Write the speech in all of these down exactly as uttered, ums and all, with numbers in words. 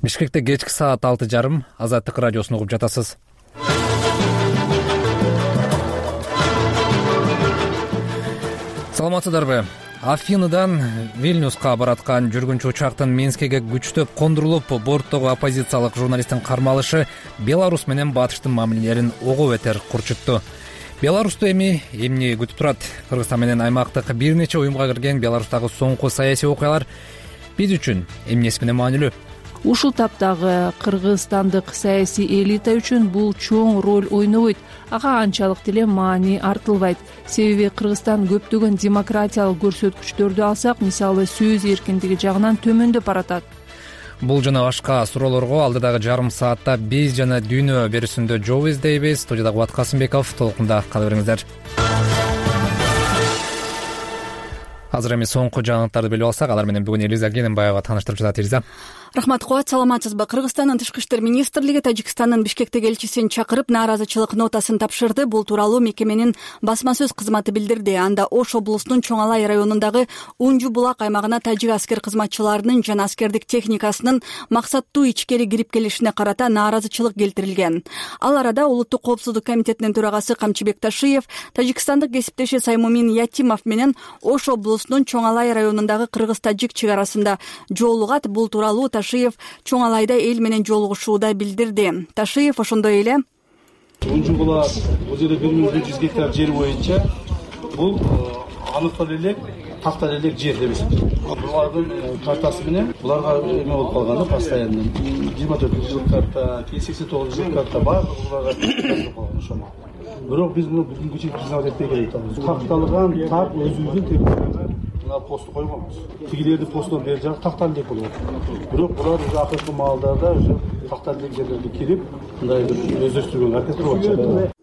Бишкекте кечки саат алты жарым Азаттык радиосун угуп жатасыз. Саламатсыздарбы? Афиныдан Вильнюска бараткан жүргүнчү учактын Минскиге күчтөп кондурулуп, борттогу оппозициялык журналисттин кармалышы Беларусь менен Батыштын мамилелерин ого бетер курчутту. Беларусту эми эмне күтүп турат? Кыргызстан менен аймактык бир нече уюмга кирген Беларустагы соңку саясий окуялар биз үчүн эмнеси менен маанилүү? Ушул таптагы кыргызстандык саясий элита үчүн бул чоң роль ойнобойт. Ага анчалык деле маани артылбайт. Себеби Кыргызстан көптөгөн демократиялык көрсөткүчтөрдү алсак, мисалы сөз эркиндиги жагынан төмөндөп баратат. Бул жана башка суроолорго алдыдагы жарым саатта биз жана дүйнө берүүсүндө жооп издейбиз. Студияда Кубат Касымбеков, толкунда кала бериңиздер. Азыр эми соңку жаңылыктарды билип алсак, алар менен бүгүн Элиза Гененбаева тааныштырып жатат. Элиза. Рахмат, Кубат, саламатсызбы? Кыргызстандын Тышкы иштер министрлиги Тажикстандын Бишкектеги элчисин чакырып, нааразычылык нотасын тапшырды. Бул тууралуу мекеменин басма сөз кызматы билдирди. Анда Ош облусунун Чоң Алай районундагы Унжу булак аймагына тажик аскер кызматчыларынын жана аскердик техникасынын максаттуу ичкери кирип келишине карата нааразычылык келтирилген. Ал арада Улуттук коопсуздук комитетинин төрагасы Камчыбек Ташиев тажикстандык кесиптеши Саймумин Ятимов менен Ош облусунун Чоң Алай районундагы кыргыз-тажик чек арасында жолугат. Бул тууралуу Ташиев Чоң Алайда эл менен жолугушууда билдирди. Ташиев ошондой эле Унжу булак бул жерде бир миң беш жүз гектар жер боюнча бул аныктал элек тактар элек жер деп эсептелет. Булардын картасы менен буларга эме болуп калган да, постоянно жыйырма төрт жылдык карта, сексен тогуз жылдык карта бар, буларга жазылып калган ошол. Бирок биз муну бүгүнкү күнү признавать этпей келатабыз. Такталган так өзүбүздүн территорияга мына посту койгонбуз. Тигилерди постон бери жак тактар элек болот. Бирок булар уже акыркы маалдарда уже тактар элек жерлерге кирип, мындай бир өздөштүргөнгө аракет кылып атышат.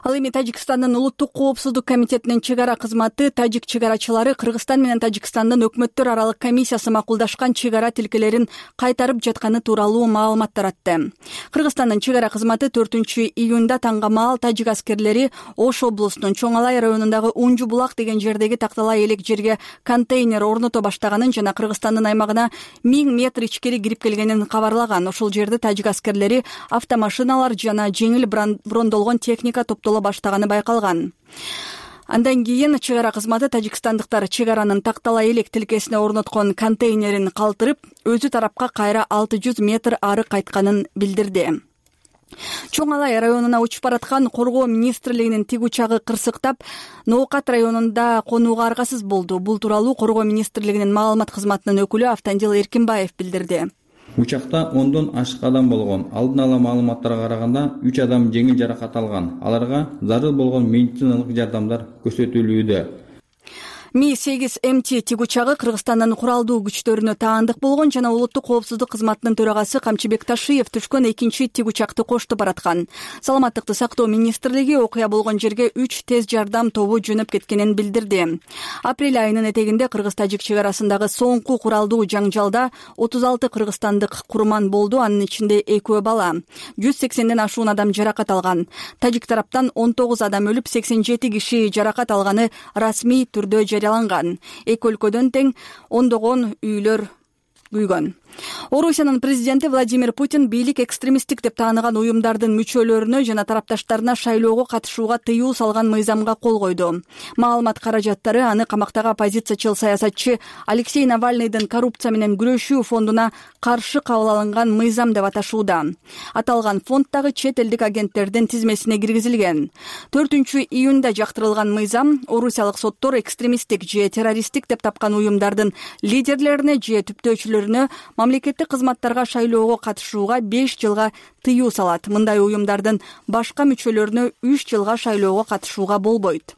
Ал эми Тажикстандын Улуттук коопсуздук комитетинин чек ара кызматы тажик чек арачылары Кыргызстан менен Тажикстандын өкмөттөр аралык комиссиясы макулдашкан чек ара тилкелерин кайтарып жатканы тууралуу маалымат таратты. Кыргызстандын чек ара кызматы төртүнчү июнда таңга маал тажик аскерлери Ош облусунун Чоң Алай районундагы Унжу булак деген жердеги такталай элек жерге контейнер орното баштаганын жана Кыргызстандын аймагына миң метр ичкери кирип келгенин кабарлаган. Ошол жерде тажик аскерлери автомашиналар жана жеңил брондолгон техника топтоло баштаганы байкалган. Андан кийин чек ара кызматы тажикстандыктар чек аранын такталай элек тилкесине орноткон контейнерин калтырып, өзү тарапка кайра алты жүз метр ары кайтканын билдирди. Чоң Алай районуна учуп бараткан Коргоо министрлигинин тиг учагы кырсыктап, Ноокат районунда конууга аргасыз болду. Бул тууралуу Коргоо министрлигинин маалымат кызматынын өкүлү Автандил Эркинбаев билдирди. Учакта ондон ашык адам болгон. Алдын ала маалыматтарга караганда үч адам жеңил жаракат алган. Аларга зарыл болгон медициналык жардамдар көрсөтүлүүдө. Ми сегиз М Т тиг учагы Кыргызстандын куралдуу күчтөрүнө таандык болгон жана Улуттук коопсуздук кызматынын төрагасы Камчыбек Ташиев түшкөн экинчи тиг учакты кошту бараткан. Саламаттыкты сактоо министрлиги окуя болгон жерге үч тез жардам тобу жөнөп кеткенин билдирди. Апрель айынын этегинде кыргыз-тажик чек арасындагы соңку куралдуу жаңжалда отуз алты кыргызстандык курман болду, анын ичинде экөө бала. жүз сексенден ашуун адам жаракат алган. Тажик тараптан он тогуз адам өлүп, сексен жети киши жаракат алганы расмий түрдө жарыяланган. Эки өлкөдөн тең ондогон үйлөр күйгөн. Орусиянын президенти Владимир Путин бийлик экстремисттик деп тааныган уюмдардын мүчөлөрүнө жана тарапташтарына шайлоого катышууга тыюу салган мыйзамга кол койду. Маалымат каражаттары аны камактагы оппозициячыл саясатчы Алексей Навальныйдын коррупция менен күрөшүү фондуна каршы кабыл алынган мыйзам деп аташууда. Аталган фонддагы чет элдик агенттердин тизмесине киргизилген. төртүнчү июнда жактырылган мыйзам орусиялык соттор экстремисттик же террористтик деп тапкан уюмдардын лидерлерине же түптөөчүлөрүнө мамлекеттик кызматтарга шайлоого катышууга беш жылга тыюу салат. Мындай уюмдардын башка мүчөлөрүнө үч жылга шайлоого катышууга болбойт.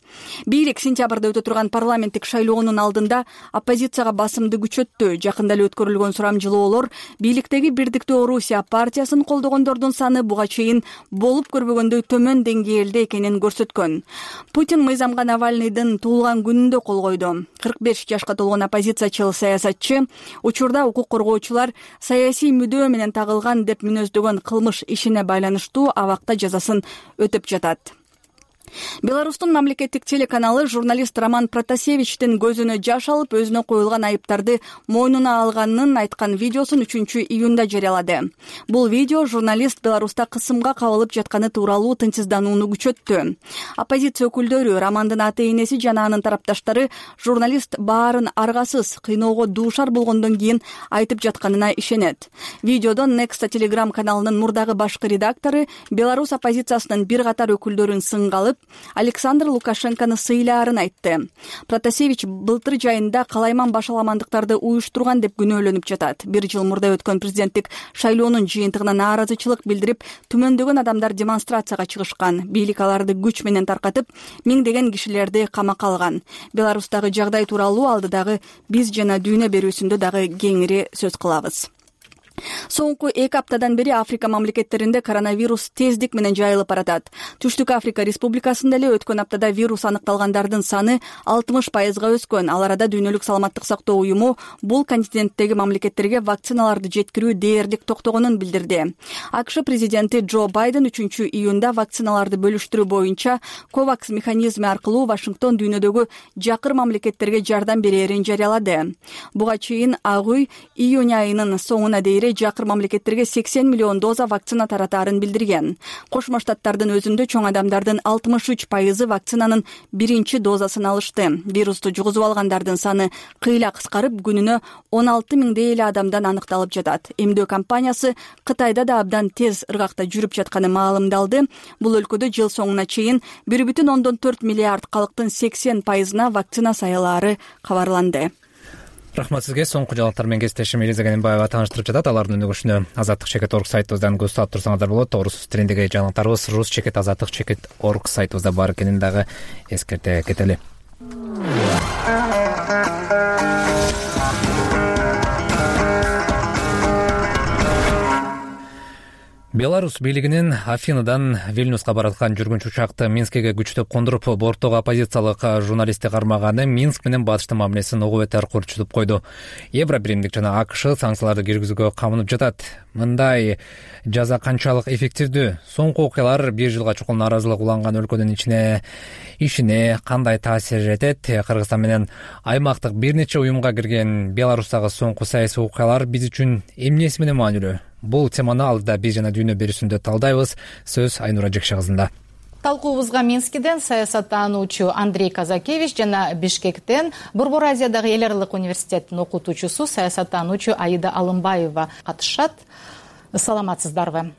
Бийлик сентябрда өтө турган парламенттик шайлоонун алдында оппозицияга басымды күчөттү. Жакында эле өткөрүлгөн сурамжылоолор бийликтеги Бирдиктүү Орусия партиясын колдогондордун саны буга чейин болуп көрбөгөндөй төмөн деңгээлде экенин көрсөткөн. Путин мыйзамга Навальныйдын туулган күнүндө кол койду. кырк беш жашка толгон оппозициячыл саясатчы учурда укук коргоочулар саясий мүдөө менен тагылган деп мүнөздөгөн кылмыш ишине байланыштуу абакта жазасын өтөп жатат. Беларустун мамлекеттик телеканалы журналист Роман Протасевичтин көзүнө жаш алып өзүнө коюлган айыптарды мойнуна алганын айткан видеосун үчүнчү июнда жарыялады. Бул видео журналист Беларуста кысымга кабылып жатканы тууралуу тынчсызданууну күчөттү. Оппозиция өкүлдөрү, Романдын ата-энеси жана анын тарапташтары журналист баарын аргасыз, кыйноого дуушар болгондон кийин айтып жатканына ишенет. Видеодо Некста Телеграм каналынын мурдагы башкы редактору Беларусь оппозициясынын бир катар өкүлдөрүн сынга алып, Александр Лукашенкону сыйлаарын айтты. Протасевич былтыр жайында калайман башаламандыктарды уюштурган деп күнөөлөнүп жатат. Бир жыл мурда өткөн президенттик шайлоонун жыйынтыгына нааразычылык билдирип, түмөндөгөн адамдар демонстрацияга чыгышкан. Бийлик аларды күч менен таркатып, миңдеген кишилерди камакка алган. Беларустагы жагдай тууралуу алдыдагы биз жана дүйнө берүүсүндө дагы кеңири сөз кылабыз. Соңку эки аптадан бери Африка мамлекеттеринде коронавирус тездик менен жайылып баратат. Түштүк Африка Республикасында эле өткөн аптада вирус аныкталгандардын саны алтымыш пайызга өскөн. Ал арада Дүйнөлүк саламаттык сактоо уюму бул континенттеги мамлекеттерге вакциналарды жеткирүү дээрлик токтогонун билдирди. АКШ президенти Джо Байден үчүнчү июнда вакциналарды бөлүштүрүү боюнча ковакс механизми аркылуу Вашингтон дүйнөдөгү жакыр мамлекеттерге жардам берерин жарыялады. Буга чейин Ак үй июнь айынын соңуна дейин жакыр мамлекеттерге сексен миллион доза вакцина таратаарын билдирген. Кошмо Штаттардын өзүндө чоң адамдардын алтымыш үч пайызы вакцинанын биринчи дозасын алышты. Вирусту жугузуп алгандардын саны кыйла кыскарып, күнүнө он алты миңдей эле адамдан аныкталып жатат. Эмдөө компаниясы Кытайда да абдан тез ыргакта жүрүп жатканы маалымдалды. Бул өлкөдө жыл соңуна чейин бир бүтүн ондон төрт миллиард калктын сексен пайызына вакцина сайылаары кабарланды. Рахмат сизге. Соңку жаңылыктар менен кесиптешим Элиза Ганенбаева тааныштырып жатат. Алардын өнүгүшүнө азаттык чекит точка орг сайтыбыздан көз салып турсаңыздар болот. Орус тилиндеги жаңылыктарыбыз рус чекит азаттык чекит точка орг сайтыбызда бар экенин дагы эскерте кетели. Беларусь бийлигинин Афинадан Вильнюска бараткан жүргүнчү учакты Минскиге күчтөп кондуруп, борттогу оппозициялык журналистти кармаганы Минск менен батыштын мамилесин ого бетер курчутуп койду. Евро биримдик жана АКШ санкцияларды киргизүүгө камынып жатат. Мындай жаза канчалык эффективдүү? Соңку окуялар бир жылга чукул нааразылык уланган өлкөнүн ичине ишине кандай таасир этет? Кыргызстан менен аймактык бир нече уюмга кирген Беларустагы соңку саясий окуялар биз үчүн эмнеси менен маанилүү? Бул теманы алдыда биз жана дүйнө берүүсүндө талдайбыз. Сөз Айнура Жекше кызында. Талкуубузга Минскиден саясаттануучу Андрей Казакевич жана Бишкектен Борбор Азиядагы эл аралык университеттин окутуучусу саясаттануучу Аида Алымбаева катышат. Саламатсыздарбы?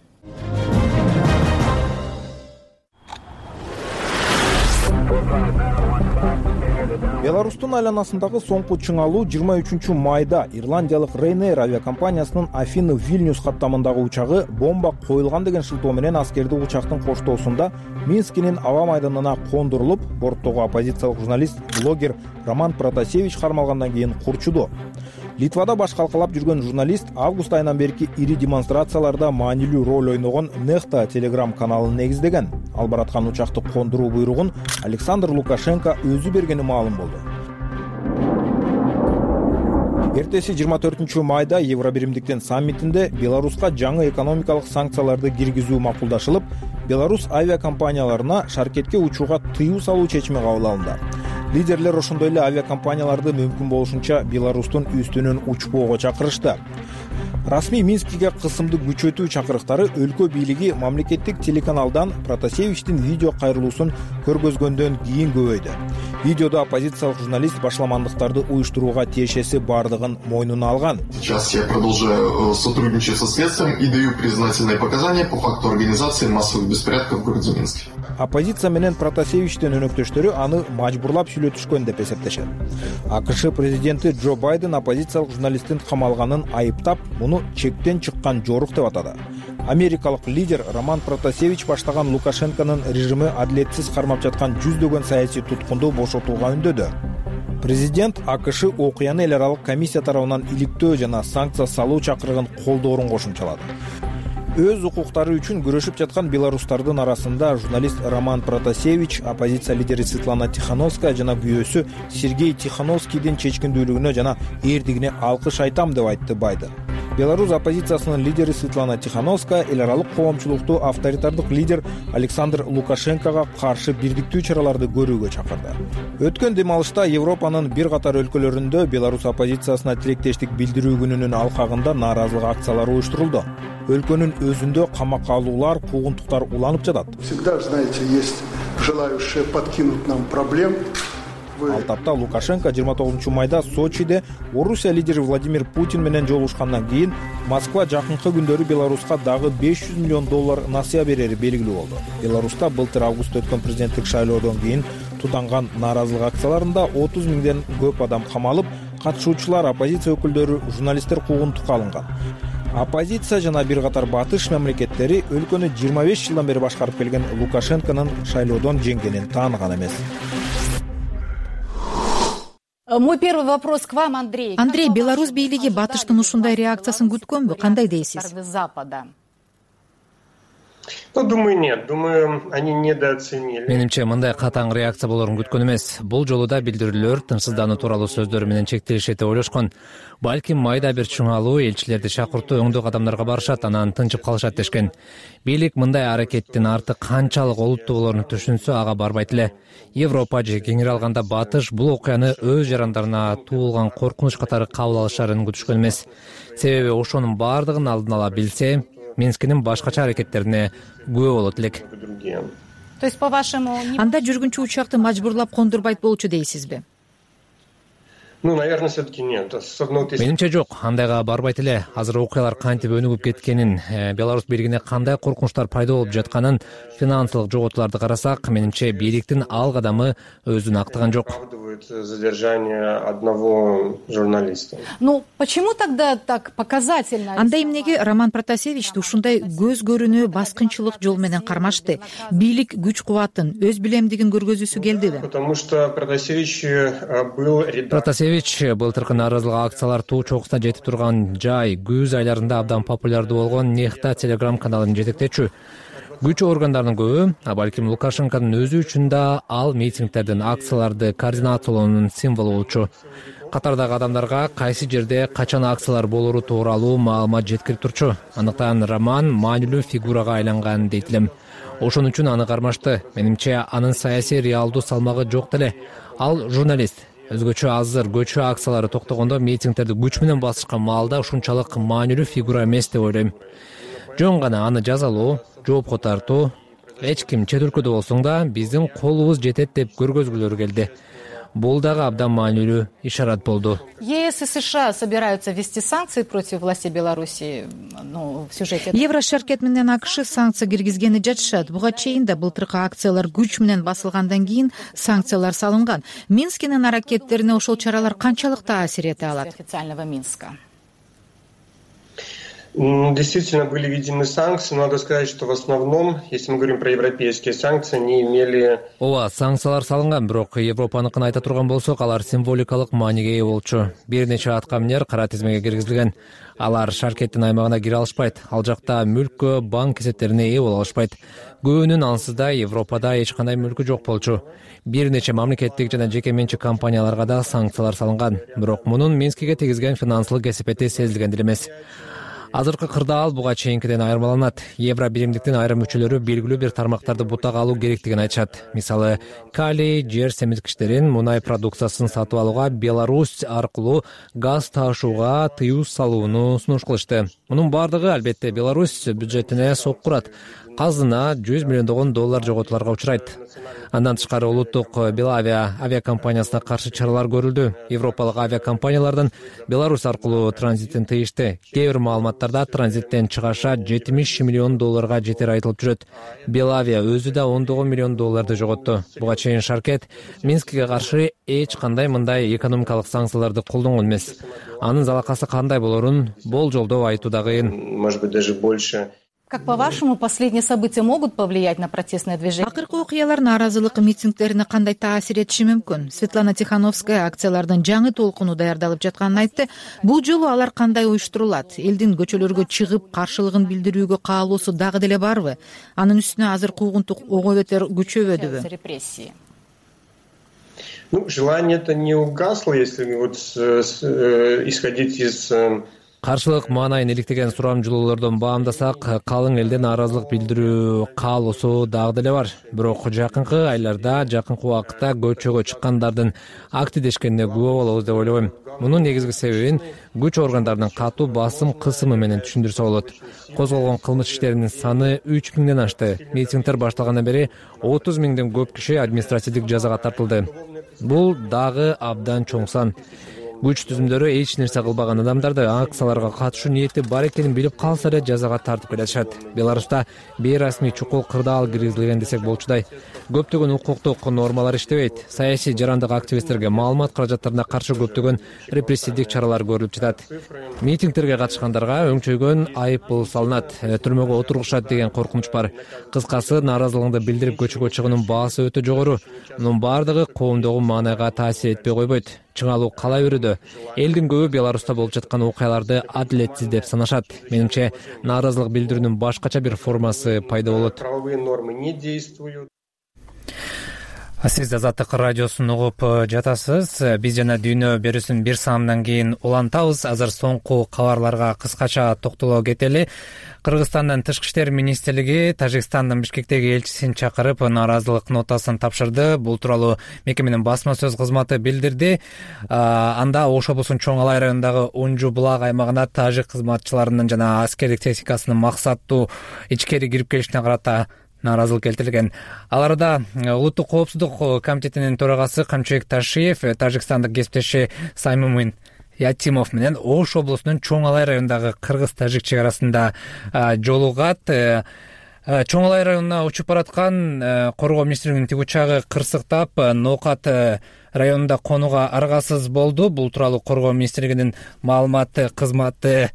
Беларустун айланасындагы соңку чыңалуу жыйырма үчүнчү майда ирландиялык Ryanair авиакомпаниясынын Афина Вильнюс каттамындагы учагы бомба коюлган деген шылтоо менен аскерди учактын коштоосунда Минскинин аба майданына кондурулуп, борттогу оппозициялык журналист, блогер Роман Протасевич кармалгандан кийин курчуду. Литвада баш калкалап жүргөн журналист август айынан берки ири демонстрацияларда маанилүү роль ойногон Некста Телеграм каналын негиздеген. Ал бараткан учакты кондуруу буйругун Александр Лукашенко өзү бергени маалым болду. Эртеси жыйырма төртүнчү майда Евро биримдиктин саммитинде Беларуска жаңы экономикалык санкцияларды киргизүү макулдашылып, Беларусь авиакомпанияларына шаркетке учууга тыюу салуу чечими кабыл алынды. Лидерлер ошондой эле авиакомпанияларды мүмкүн болушунча Беларустун үстүнөн учпоого чакырышты. Расмий Минскиге кысымды күчөтүү чакырыктары өлкө бийлиги мамлекеттик телеканалдан Протасевичтин видео кайрылуусун көргөзгөндөн кийин көбөйдү. Видеодо оппозициялык журналист башаламандыктарды уюштурууга тиешеси бардыгын мойнуна алган. Сейчас я продолжаю сотрудничать со следствием и даю признательные показания по факту организации массовых беспорядков в городе Минске. Оппозиция менен Протасевичтин өнөктөштөрү аны мажбурлап сүйлөтүшкөн деп эсептешет. АКШ президенти Джо Байден оппозициялык журналисттин камалганын айыптап, муну чектен чыккан жорук деп атады. Америкалык лидер Роман Протасевич баштаган Лукашенконун режими адилетсиз кармап жаткан жүздөгөн саясий туткунду бошотууга үндөдү. Президент АКШ окуяны эл аралык комиссия тарабынан иликтөө жана санкция салуу чакырыгын колдоорун кошумчалады. Өз укуктары үчүн күрөшүп жаткан беларустардын арасында журналист Роман Протасевич, оппозиция лидери Светлана Тихановская жана күйөөсү Сергей Тихановскийдин чечкиндүүлүгүнө жана эрдигине алкыш айтам деп айтты Байден. Беларусь оппозициясынын лидери Светлана Тихановская эл аралык коомчулукту авторитардык лидер Александр Лукашенкого каршы бирдиктүү чараларды көрүүгө чакырды. Өткөн дем алышта Европанын бир катар өлкөлөрүндө Беларусь оппозициясына тилектештик билдирүү күнүнүн алкагында нааразылык акциялары уюштурулду. Өлкөнүн өзүндө камакка алуулар, куугунтуктар уланып жатат. Всегда, знаете, есть желающие подкинуть нам проблем. Ал тапта Лукашенко жыйырма тогузунчу майда Сочиде Орусия лидери Владимир Путин менен жолугушкандан кийин Москва жакынкы күндөрү Беларуска дагы беш жүз миллион доллар насыя берери белгилүү болду. Беларуста былтыр августта өткөн президенттик шайлоодон кийин тутанган нааразылык акцияларында отуз миңден көп адам камалып, катышуучулар, оппозиция өкүлдөрү, журналисттер куугунтукка алынган. Оппозиция жана бир катар батыш мамлекеттери өлкөнү жыйырма беш жылдан бери башкарып келген Лукашенконун шайлоодон жеңгенин тааныган эмес. Мой первый вопрос к вам, Андрей. Андрей, Беларусь бийлиги батыштын ушундай реакциясын күткөнбү? Кандай дейсиз? Запада. Ну, думаю, нет. Думаю, они недооценили. Менимче, мындай катаң реакция болорун күткөн эмес. Бул жолу да билдирүүлөр тынчсыздануу тууралуу сөздөр менен чектелишет деп ойлошкон. Балким майда бир чыңалуу элчилерди чакыртуу өңдүү кадамдарга барышат, анан тынчып калышат дешкен. Бийлик мындай аракеттин арты канчалык олуттуу болоруну түшүнсө, ага барбайт эле. Европа же кеңири алганда батыш бул окуяны өз жарандарына туулган коркунуч катары кабыл алышарын күтүшкөн эмес. Себеби ошонун баардыгын алдын ала билсе, Минскинин башкача аракеттерине күбө болот элек. То есть, по-вашему, анда жүргүнчү учакты мажбурлап кондурбайт болчу дейсизби? Ну, наверное, все-таки нет. Менимче жок, андайга барбайт эле. Азыр окуялар кантип өнүгүп кеткенин, Беларусь бийлигине кандай коркунучтар пайда болуп жатканын, финансылык жоготууларды карасак, менимче бийликтин ал кадамы өзүн актаган жок. Задержание одного журналиста. Ну, почему тогда так показательно? Анда эмнеге Роман Протасевичти ушундай көз көрүнүү баскынчылык жол менен кармашты? Бийлик күч кубатын, өз билемдигин көргөзүүсү келдиби? Потому что Протасевич был редактор. Былтыркы нааразылык акциялар туу чокусуна жетип турган жай күз айларында абдан популярдуу болгон Нехта телеграм каналын жетектечү. Күч органдарынын көбү, а балким Лукашенконун өзү үчүн да ал митингдердин акцияларды координациялоонун символу болчу. Катардагы адамдарга кайсы жерде качан акциялар болору тууралуу маалымат жеткирип турчу. Андыктан Роман маанилүү фигурага айланган дейт элем. Ошон үчүн аны кармашты. Менимче анын саясий реалдуу салмагы жок деле. Ал журналист. Өзгөчө азыр көчө акциялары токтогондо митингдерди күч менен басышкан маалда ушунчалык маанилүү фигура эмес деп ойлойм. Жөн гана аны жазалоо, жоопко тартуу, эч ким чет өлкөдө болсоң да биздин колубуз жетет деп көргөзгүлөрү келди. Бул дагы абдан маанилүү ишарат болду. ЕС и США собираются ввести санкции против властей Беларуси, ну, в сюжете. Еврошеркет менен АКШ санкция киргизгени жатышат. Буга чейин да былтыркы акциялар күч менен басылгандан кийин санкциялар салынган. Минскинин аракеттерине ошол чаралар канчалык таасир эте алат? Официального Минска. Действительно были введены санкции, но надо сказать, что в основном, если мы говорим про европейские санкции, они имели... Ооба, санкциялар салынган, бирок Европаныкын айта турган болсок, алар символикалык мааниге ээ болчу. Бир нече аткаминер кара тизмеге киргизилген. Алар Шаркеттин аймагына кире алышпайт. Ал жакта мүлккө, банк кесептерине ээ боло алышпайт. Көбүнүн ансызда Европада эч кандай мүлкү жок болчу. Бир нече мамлекеттик жана жеке менчик компанияларга да санкциялар салынган. Бирок мунун Минскиге тийгизген финансылык кесепети сезилген деле эмес. Азыркы кырдаал буга чейинкиден айырмаланат. Евро биримдиктин айрым мүчөлөрү белгилүү бир тармактарды бутак алуу керектигин айтышат. Мисалы, калий, жер семирткичтерин, мунай продукциясын сатып алууга Беларусь аркылуу газ таашууга тыюу салууну сунуш кылышты. Мунун бардыгы албетте Беларусь бюджетине соккурат. Казына жүз миллиондогон доллар жоготууларга учурайт. Андан тышкары улуттук Белавия авиакомпаниясына каршы чаралар көрүлдү. Европалык авиакомпаниялардан Беларусь аркылуу транзитин тыйышты. Кээ бир маалыматтарда транзиттен чыгаша жетимиш миллион долларга жетери айтылып жүрөт. Белавия өзү да ондогон миллион долларды жоготту. Буга чейин Шаркет Минскиге каршы эч кандай мындай экономикалык санкцияларды колдонгон эмес. Анын залакасы кандай болорун болжолдоо айтуу да кыйын. Может быть, даже больше. Как по-вашему, последние события могут повлиять на протестное движение? Акыркы окуялар нааразылык митингдерине кандай таасир этиши мүмкүн? Светлана Тихановская акциялардын жаңы толкуну даярдалып жатканын айтты. Бул жолу алар кандай уюштурулат? Элдин көчөлөргө чыгып каршылыгын билдирүүгө каалоосу дагы деле барбы? Анын үстүнө азыр куугунтук ого бетер күчөбөдүбү? Репрессии. Ну, желание это не угасло, если вот с, с, исходить из каршылык маанайын иликтеген сурамжылоолордон баамдасак, калың элден нааразылык билдирүү каалоосу дагы деле бар. Бирок жакынкы айларда, жакынкы убакытта көчөгө чыккандардын активдешкенине күбө болобуз деп ойлобойм. Мунун негизги себебин күч органдарынын катуу басым кысымы менен түшүндүрсө болот. Козголгон кылмыш иштеринин саны үч миңден ашты. Митингдер башталгандан бери отуз миңден көп киши административдик жазага тартылды. Бул дагы абдан чоң сан. Күч түзүмдөрү эч нерсе кылбаган адамдарды акцияларга катышуу ниети бар экенин билип калса эле жазага тартып келишат. Беларуста бейрасмий чукул кырдаал киргизилген десек болчудай. Көптөгөн укуктук нормалар иштебейт. Саясий жарандык активисттерге маалымат каражаттарына каршы көптөгөн репрессивдик чаралар көрүлүп жатат. Митингдерге катышкандарга өңчөйгөн айыппул салынат, түрмөгө отургушат деген коркунуч бар. Кыскасы, нааразылыгыңды билдирип көчөгө чыгуунун баасы өтө жогору. Мунун бардыгы коомдогу маанайга таасир этпей койбойт. Чыңалуу кала берүүдө элдин көбү Беларуста болуп жаткан окуяларды адилетсиз деп санашат. Менимче, нааразылык билдирүүнүн башкача бир формасы пайда болот. Правовые нормы не действуют. Сиз Азаттык радиосун угуп жатасыз. Биз жана дүйнө берүүсүн бир саамдан кийин улантабыз. Азыр соңку кабарларга кыскача токтоло кетели. Кыргызстандын Тышкы иштер министрлиги Тажикстандын Бишкектеги элчисин чакырып, нааразылык нотасын тапшырды. Бул тууралуу мекеменин басма сөз кызматы билдирди. Анда Ош облусунун Чоң Алай районундагы Унжу булак аймагына тажик кызматчыларынын жана аскердик техникасынын максаттуу ичкери кирип келишине карата нааразылык келтирилген. Ал арада Улуттук коопсуздук комитетинин төрагасы Камчыбек Ташиев тажикстандык кесиптеши Саймумин Ятимов менен Ош облусунун Чоң Алай районундагы кыргыз-тажик чек арасында жолугат. Чоң Алай районуна учуп бараткан коргоо министрлигинин тигучагы кырсыктап, Ноокат районунда конууга аргасыз болду. Бул тууралуу коргоо министрлигинин маалымат кызматы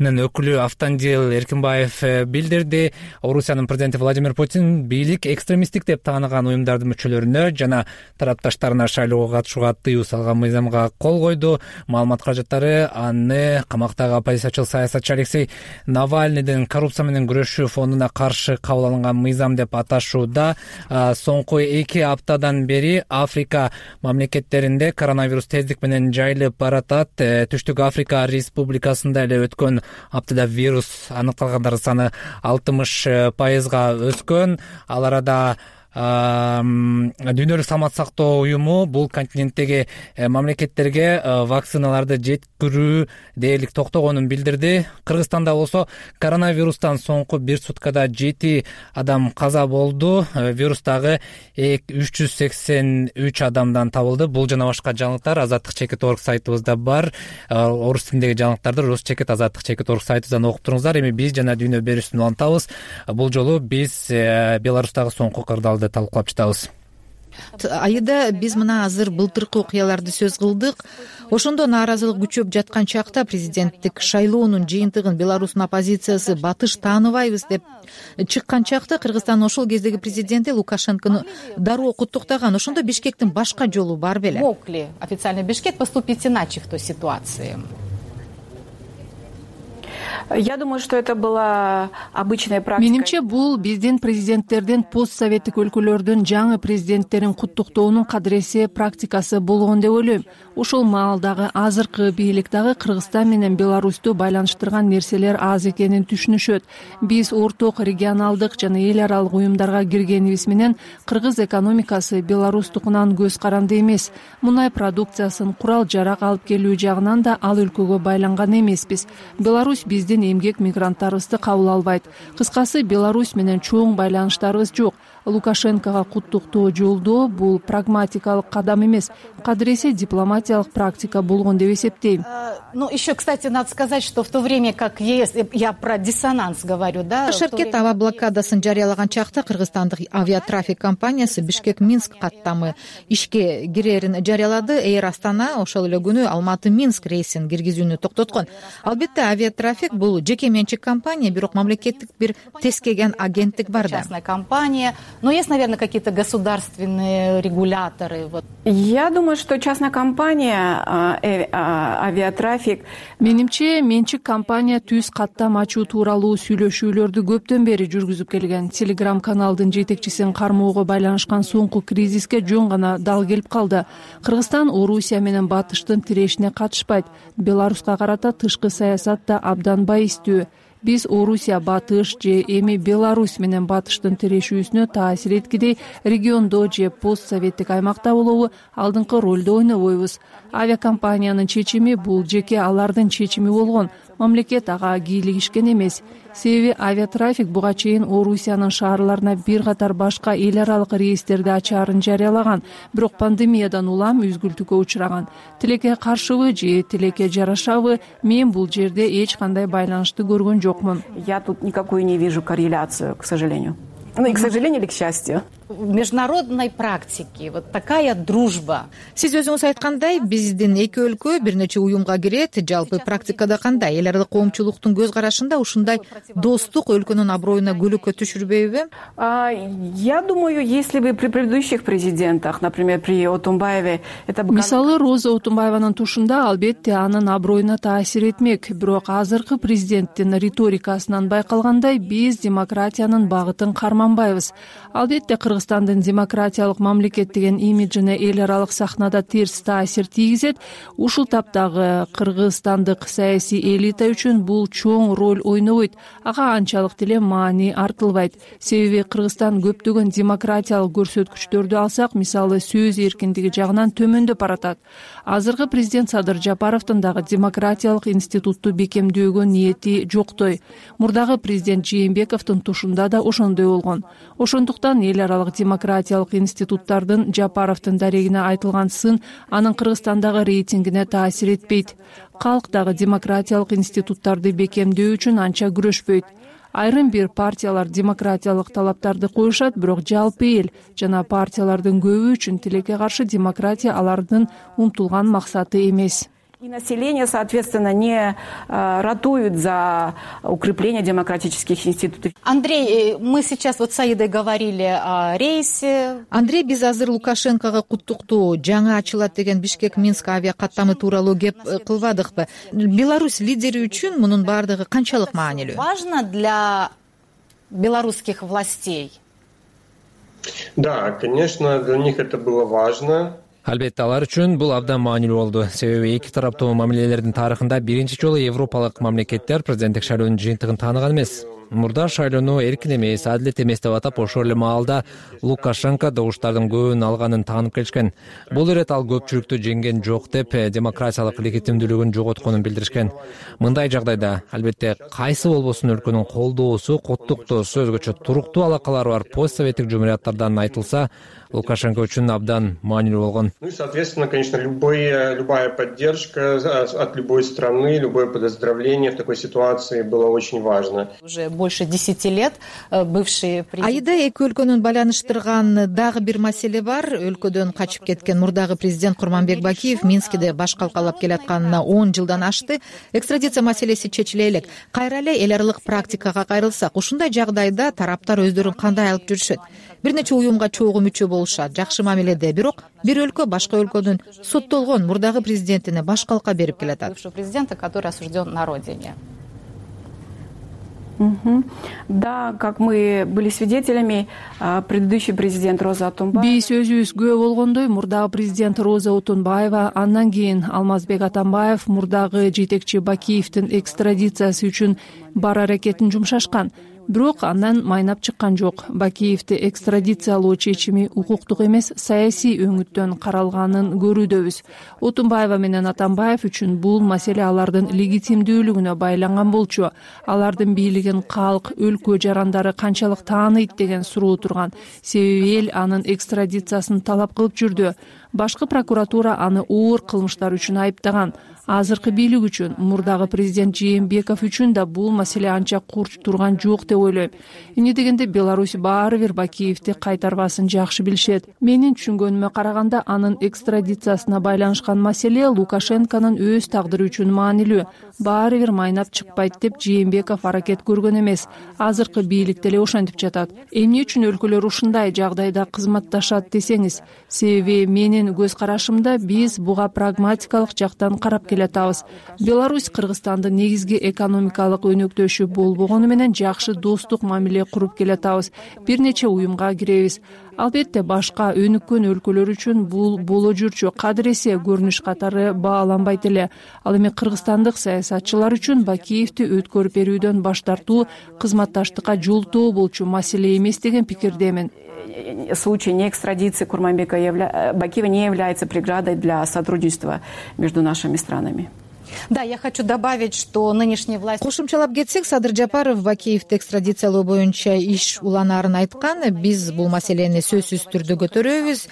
өкүлү Автандил Эркинбаев билдирди. Орусиянын президенти Владимир Путин бийлик экстремисттик деп тааныган уюмдардын мүчөлөрүнө жана тарапташтарына шайлоого катышууга тыюу салган мыйзамга кол койду. Маалымат каражаттары аны камактагы оппозициячыл саясатчы Алексей Навальныйдын коррупция менен күрөшүү фондуна каршы кабыл алынган мыйзам деп аташууда. Соңку эки аптадан бери Африка мамлекеттеринде коронавирус тездик менен жайылып баратат. Түштүк Африка Республикасында эле өткөн аптада вирус аныкталгандар саны алтымыш пайызга өскөн. Ал арада Дүйнөлүк саламаттык сактоо уюму бул континенттеги мамлекеттерге вакциналарды жеткирүү дээрлик токтогонун билдирди. Кыргызстанда болсо коронавирустан соңку бир суткада жети адам каза болду. Вирус дагы үч жүз сексен үч адамдан табылды. Бул жана башка жаңылыктар азаттык чекит орг сайтыбызда бар. Орус тилиндеги жаңылыктарды рус чекит азаттык чекит орг сайтыбыздан окуп туруңуздар. Эми биз жана дүйнө берүүсүн улантабыз. Бул жолу биз Беларустагы соңку кырдаалды талкуулап жатабыз. Айда биз мына азыр былтыркы окуяларды сөз кылдык. Ошондо нааразылык күчөп жаткан чакта президенттик шайлоонун жыйынтыгын Беларустун оппозициясы батыш тааныбайбыз деп чыккан чакта Кыргызстандын ошол кездеги президенти Лукашенкону дароо куттуктаган. Ошондо Бишкектин башка жолу бар беле? Мог ли официальный Бишкек поступить иначе в той ситуации? Я думаю, что это была обычная практика. Менимче, бул биздин президенттердин постсоветтик өлкөлөрдүн жаңы президенттерин куттуктоонун кадыресе практикасы болгон деп ойлойм. Ошол маалдагы азыркы бийлик дагы Кыргызстан менен Беларусту байланыштырган нерселер аз экенин түшүнүшөт. Биз орток регионалдык жана эл аралык уюмдарга киргенибиз менен кыргыз экономикасы Беларустукунан көз каранды эмес. Мунай продукциясын курал жарак алып келүү жагынан да ал өлкөгө байланган эмеспиз. Беларусь биздин эмгек мигранттарыбызды кабыл албайт. Кыскасы, Беларусь менен чоң байланыштарыбыз жок. Лукашенкого куттуктоо жолдоо бул прагматикалык кадам эмес, кадыресе дипломатиялык практика болгон деп эсептейм. Ну, еще, кстати, надо сказать, что в то время как ЕС, я про диссонанс говорю, да? Шаркет аба блокадасын жарыялаган чакта Кыргызстандык авиатрафик компаниясы Бишкек-Минск каттамы ишке кирерин жарыялады. Эйр Астана ошол эле күнү Алматы-Минск рейсин киргизүүнү токтоткон. Албетте, авиатрафик элек бул жеке менчик компания, бирок мамлекеттик бир тескеген агенттик бар да. Частная компания, но есть, наверное, какие-то государственные регуляторы. Вот. Я думаю, что частная компания, авиатрафик. Менимче, менчик компания түз каттам ачуу тууралуу сүйлөшүүлөрдү көптөн бери жүргүзүп келген. Телеграм каналдын жетекчисин кармоого байланышкан соңку кризиске жөн гана дал келип калды. Кыргызстан Орусия менен Батыштын тирешине катышпайт. Беларуска карата тышкы саясат да абдан байистүү. Биз Орусия, Батыш же эми Беларусь менен Батыштын тирешүүсүнө таасир эткидей региондо же постсоветтик аймакта болобу алдыңкы ролду ойнобойбуз. Авиакомпаниянын чечими бул жеке алардын чечими болгон. Мамлекет ага кийлигишкен эмес. Себеби авиатрафик буга чейин Орусиянын шаарларына бир катар башка эл аралык рейстерди ачаарын жарыялаган, бирок пандемиядан улам үзгүлтүүгө учураган. Тилекке каршыбы же тилекке жарашабы, мен бул жерде эч кандай байланышты көргөн жокмун. Я тут никакую не вижу корреляцию, к сожалению. Ну и к сожалению или к счастью. В международной практике вот такая дружба. Сиз өзүңүз айткандай, биздин эки өлкө бир нече уюмга кирет. Жалпы практикада кандай? Эл аралык коомчулуктун көз карашында ушундай достук өлкөнүн аброюна күлүккө түшүрбөйбү? Я думаю, если бы при предыдущих президентах, например, при Отунбаеве, это бы... Мисалы, Роза Отунбаеванын тушунда албетте анын аброюна таасир этмек. Бирок азыркы президенттин риторикасынан байкалгандай, биз демократиянын багытын карманбайбыз. Албетте Кыргызстандын демократиялык мамлекет деген имиджине эл аралык сахнада терс таасир тийгизет. Ушул таптагы кыргызстандык саясий элита үчүн бул чоң роль ойнобойт. Ага анчалык деле маани артылбайт. Себеби Кыргызстан көптөгөн демократиялык көрсөткүчтөрдү алсак, мисалы сөз эркиндиги жагынан төмөндөп баратат. Азыркы президент Садыр Жапаровдун дагы демократиялык институтту бекемдөөгө ниети жоктой. Мурдагы президент Жээнбековдун тушунда да ошондой болгон. Ошондуктан эл аралык демократиялык институттардын Жапаровдун дарегине айтылган сын анын Кыргызстандагы рейтингине таасир этпейт. Калк дагы демократиялык институттарды бекемдөө үчүн анча күрөшпөйт. Айрым бир партиялар демократиялык талаптарды коюшат, бирок жалпы эл жана партиялардын көбү үчүн тилекке каршы демократия алардын умтулган максаты эмес. И население, соответственно, не ратует за укрепление демократических институтов. Андрей, мы сейчас вот с Аидой говорили о рейсе. Андрей, биз азыр Лукашенкого куттуктоо жаңы ачылат деген Бишкек-Минск авиа каттамы тууралуу кеп кылбадыкпы? Беларусь лидери үчүн мунун баардыгы канчалык маанилүү? Важно для белорусских властей. Да, конечно, для них это было важно. Албетте алар үчүн бул абдан маанилүү болду. Себеби эки тараптуу мамилелердин тарыхында биринчи жолу европалык мамлекеттер президенттик шайлоонун жыйынтыгын тааныган эмес. Мурда шайлоону эркин эмес, адилет эмес деп атап, ошол эле маалда Лукашенко добуштардын көбүн алганын таанып келишкен. Бул ирет ал көпчүлүктү жеңген жок деп демократиялык легитимдүүлүгүн жоготконун билдиришкен. Мындай жагдайда албетте кайсы болбосун өлкөнүн колдоосу, коттуктоосу, өзгөчө туруктуу алакалары бар постсоветтик жумурияттардан айтылса, Лукашенко үчүн абдан маанилүү болгон. Ну и, соответственно, конечно, любой, любая поддержка от любой страны, любое поздравление в такой ситуации было очень важно. Уже больше десяти лет бывшие президенты... Айда эки өлкөнүн байланыштырган дагы бир маселе бар. Өлкөдөн качып кеткен мурдагы президент Курманбек Бакиев Минскиде баш калкалап келатканына он жылдан ашты. Экстрадиция маселеси чечиле элек. Кайра эле эл аралык практикага кайрылсак, ушундай жагдайда тараптар өздөрүн кандай алып жүрүшөт? Бир нече уюмга чогуу мүчө болушат, жакшы мамиледе, бирок бир өлкө башка өлкөнүн соттолгон мурдагы президентине баш калка берип келатат. Бывшего президента, который осужден на родине. Угу. Да, как мы были свидетелями, предыдущий президент Роза Отунбаева. Биз өзүбүз күбө болгондой, мурдагы президент Роза Отунбаева, андан кийин Алмазбек Атамбаев мурдагы жетекчи Бакиевдин экстрадициясы үчүн бар аракетин жумшашкан. Бирок андан майнап чыккан жок. Бакиевди экстрадициялоо чечими укуктук эмес, саясий өңүттөн каралганын көрүүдөбүз. Отунбаева менен Атамбаев үчүн бул маселе алардын легитимдүүлүгүнө байланган болчу. Алардын бийлигин калк, өлкө жарандары канчалык тааныйт деген суроо турган. Себеби эл анын экстрадициясын талап кылып жүрдү. башкы прокуратура аны оор кылмыштар үчүн айыптаган. Азыркы бийлик үчүн, мурдагы президент Жээнбеков үчүн да бул маселе анча курч турган жок деп ойлойм. Эмне дегенде Беларусь баары бир Бакиевди кайтарбасын жакшы билишет. Менин түшүнгөнүмө караганда, анын экстрадициясына байланышкан маселе Лукашенконун өз тагдыры үчүн маанилүү. Баары бир майнап чыкпайт деп Жээнбеков аракет көргөн эмес. Азыркы бийлик деле ошентип жатат. Эмне үчүн өлкөлөр ушундай жагдайда кызматташат десеңиз, себеби менин көз карашымда биз буга прагматикалык жактан карап келатабыз. Беларусь Кыргызстандын негизги экономикалык өнөктөшү болбогону менен жакшы достук мамиле куруп келатабыз. Бир нече уюмга киребиз. Албетте, башка өнүккөн өлкөлөр үчүн бул боло жүрчү кадыресе көрүнүш катары бааланбайт эле. Ал эми кыргызстандык саясатчылар үчүн Бакиевди өткөрүп берүүдөн баш тартуу кызматташтыкка жолтоо болчу маселе эмес деген пикирдемин. Случай неэкстрадиции Курманбека Бакиева не является преградой для сотрудничества между нашими странами. Да, я хочу добавить, что нынешние власти... Кошумчалап кетсек, Садыр Жапаров Бакиевди экстрадициялоо боюнча иш уланаарын айткан. Биз бул маселени сөзсүз түрдө көтөрөбүз.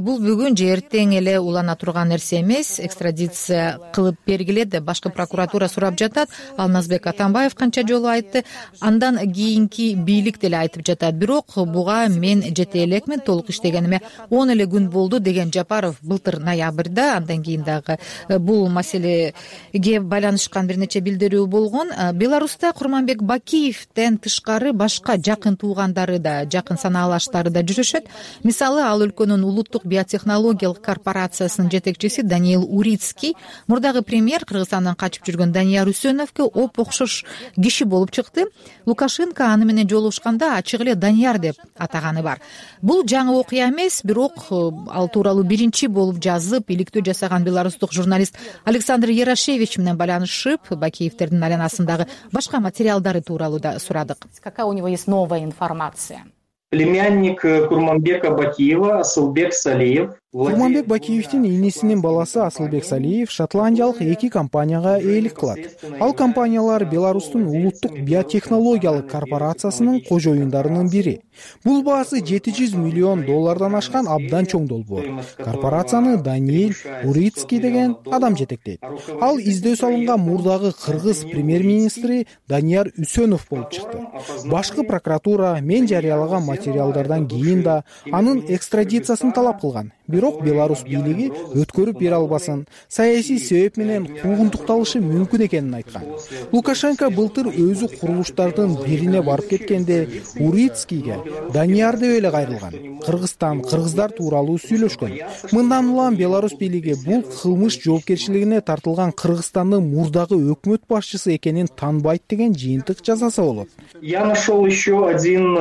Бул бүгүн же эртең эле улана турган нерсе эмес. Экстрадиция кылып бергиле деп башкы прокуратура сурап жатат. Алмазбек Атамбаев канча жолу айтты. Андан кийинки бийлик деле айтып жатат. Бирок буга мен жете элекмин, толук иштегениме он эле күн болду деген Жапаров былтыр ноябрда. Андан кийин дагы бул маселе ге байланышкан бир нече билдирүү болгон. Беларуста Курманбек Бакиевден тышкары башка жакын туугандары да, жакын санаалаштары да жүрүшөт. Мисалы, ал өлкөнүн улуттук биотехнологиялык корпорациясынын жетекчиси Даниил Урицкий, мурдагы премьер Кыргызстандан качып жүргөн Данияр Үсөновго оп окшош киши болуп чыкты. Лукашенко аны менен жолугушканда ачык эле Данияр деп атаганы бар. Бул жаңы окуя эмес, бирок ал тууралуу биринчи болуп жазып, иликтөө жасаган беларустук журналист Александр Ярашевич менен байланышып, Бакиевдердин айланасындагы башка материалдары тууралуу да сурадык. Какая у него есть новая информация? Племянник Курманбека Бакиева Асылбек Салиев. Курманбек Бакиевдин инисинин баласы Асылбек Салиев шотландиялык эки компанияга ээлик кылат. Ал компаниялар Беларустун улуттук биотехнологиялык корпорациясынын кожоюндарынын бири. Бул баасы жети жүз миллион доллардан ашкан абдан чоң долбоор. Корпорацияны Даниил Урицкий деген адам жетектейт. Ал издөө салынган мурдагы кыргыз премьер-министри Данияр Үсөнов болуп чыкты. Башкы прокуратура мен жарыялаган материалдардан кийин да анын экстрадициясын талап кылган. Бирок Беларусь бийлиги өткөрүп бере албасын, саясий себеп менен куугунтукталышы мүмкүн экенин айткан. Лукашенко былтыр өзү курулуштардын бирине барып кеткенде Урицкийге Данияр деп эле кайрылган. Кыргызстан, кыргыздар тууралуу сүйлөшкөн. Мындан улам Беларусь бийлиги бул кылмыш жоопкерчилигине тартылган Кыргызстандын мурдагы өкмөт башчысы экенин тааныбайт деген жыйынтык жасаса болот. Я нашел еще один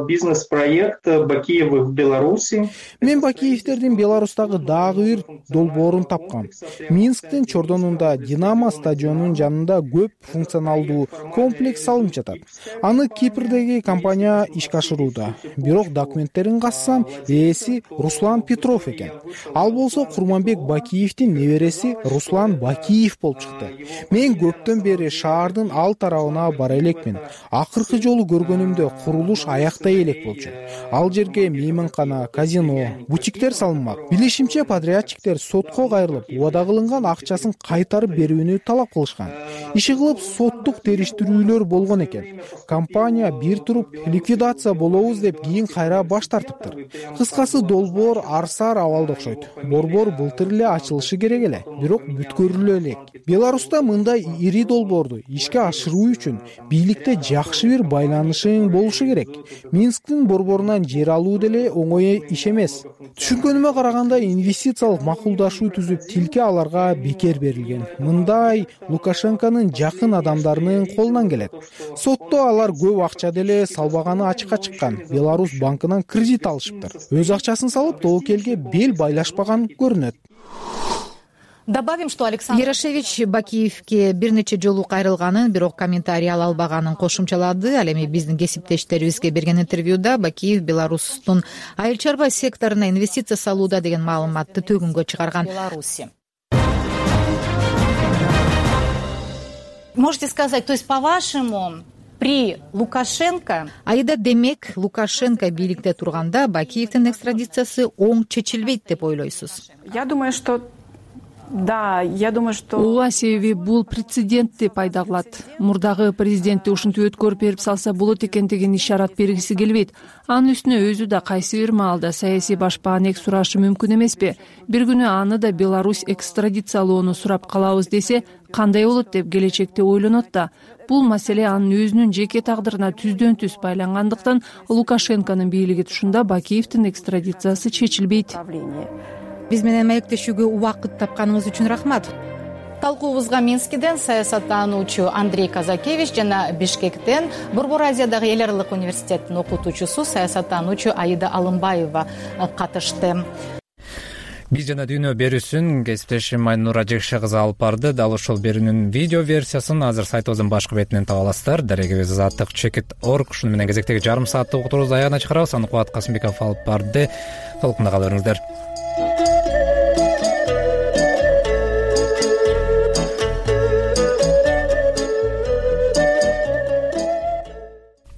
бизнес-проект Бакиева в Беларуси. Мен Бакиевдердин Беларустагы дагы бир долбоорун тапкам. Минсктин Чордонунда Динамо стадионунун жанында көп функционалдуу комплекс салынып жатат. Аны Кипрдеги компания ишке ашырууда. Бирок документтерин кассам, ээси Руслан Петров экен. Ал болсо Курманбек Бакиевдин небереси Руслан Бакиев болуп чыкты. Мен көптөн бери шаардын ал тарабына бара элекмин. Акыркы жолу көргөнүмдө курулуш аяктай элек болчу. Ал жерге мейманкана, казино, бутиктер салынмак. Билишимче, подрядчиктер сотко кайрылып, убада кылынган акчасын кайтарып берүүнү талап кылышкан. Иши кылып соттук териштирүүлөр болгон экен. Компания бир туруп ликвидация болобуз деп кийин кайра баш тартыптыр. Кыскасы, долбоор арсаар абалда окшойт. Борбор былтыр эле ачылышы керек эле, бирок бүткөрүлө элек. Беларуста мындай ири долбоорду ишке ашыруу үчүн бийликте жакшы бир байланышың болушу керек. Минсктин борборунан жер алуу деле оңой иш эмес. Түшүнгөнүмө караганда, инвестициялык макулдашуу түзүп, тилке аларга бекер берилген. Мындай Лукашенконун жакын адамдарынын колунан келет. Сотто алар көп акча деле салбаганы ачыкка чыккан. Беларусь банкынан кредит алышыптыр. Өз акчасын салып, тобокелге бел байлашпаган көрүнөт. Добавим, что Александр Ярашевич Бакиевге бир нече жолу кайрылганын, бирок комментарий ала албаганын кошумчалады. Ал эми биздин кесиптештерибизге берген интервьюда Бакиев Беларустун айыл чарба секторуна инвестиция салууда деген маалыматты төгүнгө чыгарган. Беларуси. Можете сказать, то есть по-вашему при Лукашенко. Айда демек Лукашенко бийликте турганда Бакиевдин экстрадициясы оң чечилбейт деп ойлойсуз? Я думаю, что да, я думаю, что ооба, себеби бул прецедентти пайда кылат. Мурдагы президентти ушинтип өткөрүп берип салса болот экендигин ишарат бергиси келбейт. Анын үстүнө өзү да кайсы бир маалда саясий башпаанек сурашы мүмкүн эмеспи? Бир күнү аны да Беларусь экстрадициялоону сурап калабыз десе кандай болот деп келечекте ойлонот да. Бул маселе анын өзүнүн жеке тагдырына түздөн түз байлангандыктан Лукашенконун бийлиги тушунда Бакиевдин экстрадициясы чечилбейт. Биз менен маектешүүгө убакыт тапканыңыз үчүн рахмат. Талкуубузга Минскиден саясаттануучу Андрей Казакевич жана Бишкектен Борбор Азиядагы эл аралык университеттин окутуучусу саясаттануучу Аида Алымбаева катышты. Биз жана дүйнө берүүсүн кесиптешим Айнура Жекше кызы алып барды. Дал ошол берүүнүн видео версиясын азыр сайтыбыздын башкы бетинен таба аласыздар. Дарегибиз азаттык чекит точка орг. Ушуну менен кезектеги жарым сааттык уктуруубузду аягына чыгарабыз. Аны Кубат Касымбеков алып барды. Толкунда кала бериңиздер.